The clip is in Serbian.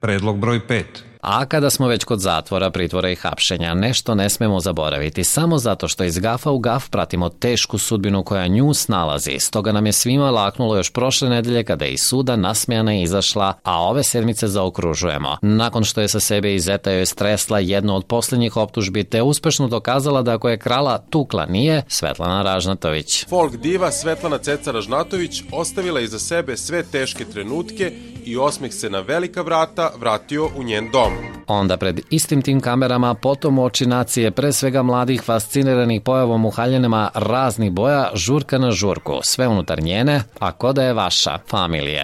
Predlog broj 5. A kada smo već kod zatvora, pritvora i hapšenja, nešto ne smemo zaboraviti. Samo zato što iz gafa u gaf pratimo tešku sudbinu koja nju snalazi. Stoga nam je svima laknulo još prošle nedelje kada je iz suda nasmejana izašla, a ove sedmice zaokružujemo. Nakon što je sa sebe i zeta joj stresla jednu od posljednjih optužbi te uspešno dokazala da ako je krala tukla nije, Svetlana Ražnatović. Folk diva Svetlana Ceca Ražnatović ostavila iza sebe sve teške trenutke i osmeh se na velika vrata vratio u njen dom. Onda pred istim tim kamerama potom u oči nacije, pre svega mladih fasciniranih pojavom u haljenama raznih boja, žurka na žurku, sve unutar njene, a ko da je vaša familije.